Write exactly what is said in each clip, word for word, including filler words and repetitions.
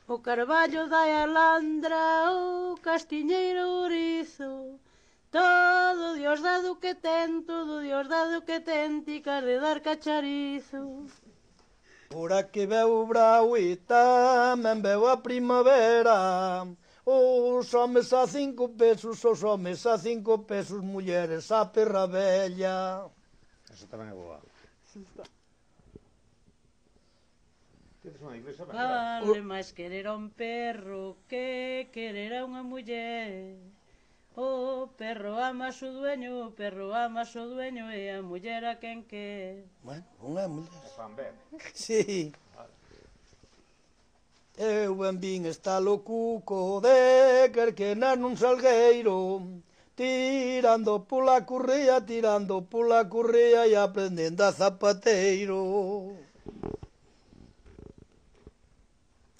O carballo da alandra, o castiñeiro ourizo, todo Dios dado que ten, todo Dios dado que ten, ti cas de dar cacharizo. Ora que veu o brau e tamén veu a primavera, os homes a cinco pesos, os homes a cinco pesos, mulleres a perra bella. Eso tamén é boa. Vale máis querer a un perro que querer a unha muller. O perro ama a su dueño, o perro ama a su dueño e a muller a quen quer. Bueno, unha muller. É fan ben. Sí. Eu ben vin está lo cuco de querquenar nun salgueiro, tirando pola curría, tirando pola curría e aprendendo a zapateiro.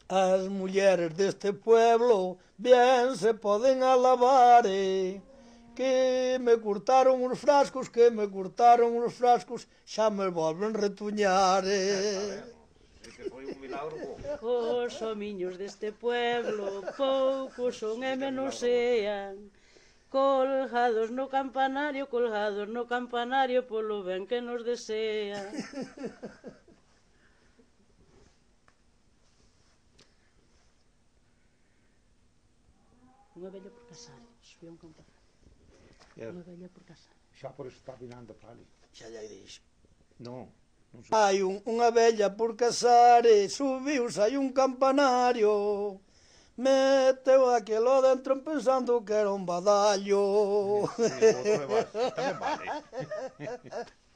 As mulleres deste pueblo bien se poden alabar, eh, que me curtaron os frascos, que me curtaron os frascos, xa me volven retuñar. Eh. Os homiños deste pueblo poucos son e menos sean, colgados no campanario, colgados no campanario polo ben que nos desean. Unha vella por casar, subía un campanario. Unha vella por casar. Xa por eso está vinando para ali. Xa lle dixo. Non. Hai un, unha vella por casar e subiuse hai un campanario, meteu aquelo dentro pensando que era un badallo. Sí, sí, outro é tamén vale.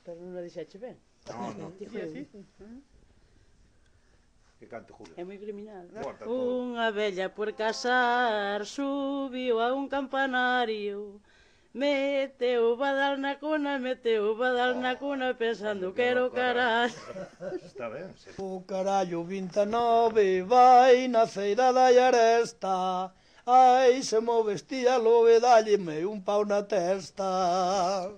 Pero non a dixache ben. Non, non. Que cante Julio. É moi criminal. Corta todo. Unha vella por casar subiu a un campanario, meteu o badal na cuna, meteu o badal na cuna pensando que era o carallo. Está ben, sí. O carallo vinte e nove vai na feira da Aresta, ai se mo vestía lobe dalle me un pau na testa.